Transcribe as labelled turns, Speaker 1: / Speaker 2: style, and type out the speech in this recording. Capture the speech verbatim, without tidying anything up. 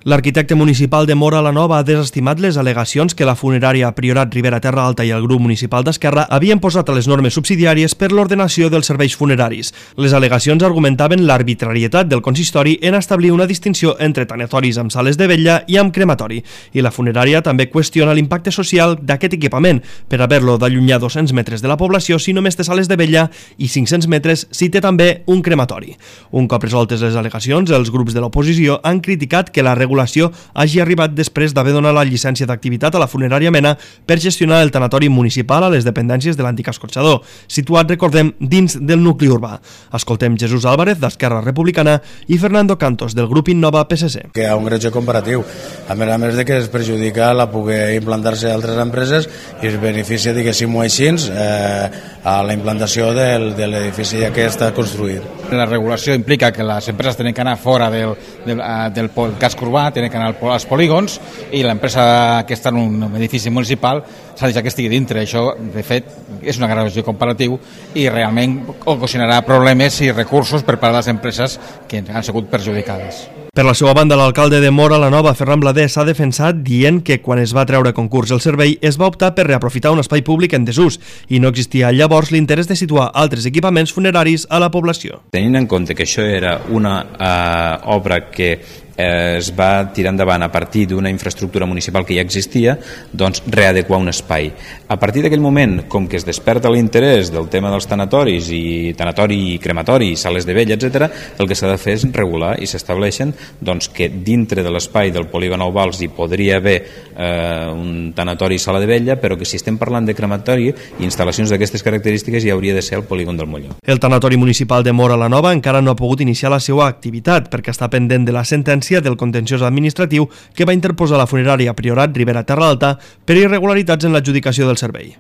Speaker 1: L'arquitecte municipal de Móra la Nova ha desestimat les al·legacions que la funerària Priorat Ribera Terra Alta i el grup municipal d'Esquerra havien posat a les normes subsidiàries per l'ordenació dels serveis funeraris. Les al·legacions argumentaven l'arbitrarietat del consistori en establir una distinció entre tanatoris amb sales de vetlla i amb crematori, i la funerària també qüestiona l'impacte social d'aquest equipament per haver-lo d'allunyar dos-cents metres de la població si només té sales de vetlla i cinc-cents metres si té també un crematori. Un cop resoltes les al·legacions, els grups de l'oposició han criticat que la regulació hagi arribat després d'haver donat la llicència d'activitat a la funerària Mena per gestionar el tanatori municipal a les dependències de l'antic escorxador, situat, recordem, dins del nucli urbà. Escoltem Jesús Álvarez, d'Esquerra Republicana, i Fernando Cantos, del grup Innova P S C.
Speaker 2: Que hi ha un greuge comparatiu, a més a més de que es perjudica la poder implantar-se a altres empreses i es beneficia, diguéssim-ho així, eh, a la implantació del, de l'edifici que està construït.
Speaker 3: La regulació implica que les empreses tenen que anar fora del, del, del casc urbà, tenen que anar als polígons, i l'empresa que està en un edifici municipal s'ha de deixar que estigui dintre. Això, de fet, és una greuge comparatiu i realment ocasionarà problemes i recursos per part de les empreses que han sigut perjudicades.
Speaker 1: Per la seva banda, l'alcalde de Móra la Nova, Ferran Blader, s'ha defensat dient que quan es va treure a concurs el servei es va optar per reaprofitar un espai públic en desús i no existia llavors l'interès de situar altres equipaments funeraris a la població.
Speaker 4: Tenint en compte que això era una eh, obra que eh, es va tirar endavant a partir d'una infraestructura municipal que ja existia, doncs readequar un espai. A partir d'aquell moment, com que es desperta l'interès del tema dels tanatoris i tanatori i crematori, sales de vella, etcètera, el que s'ha de fer és regular i s'estableixen doncs, que dintre de l'espai del polígon Nou Vals hi podria haver eh, un tanatori i sala de vella, però que si estem parlant de crematori i instal·lacions d'aquestes característiques hi hauria de ser el polígon del Molló.
Speaker 1: El tanatori municipal de Móra la Nova encara no ha pogut iniciar la seva activitat perquè està pendent de la sentència del contenciós administratiu que va interposar la funerària Priorat Ribera Terra Alta per irregularitats en l'adjudicació del servei.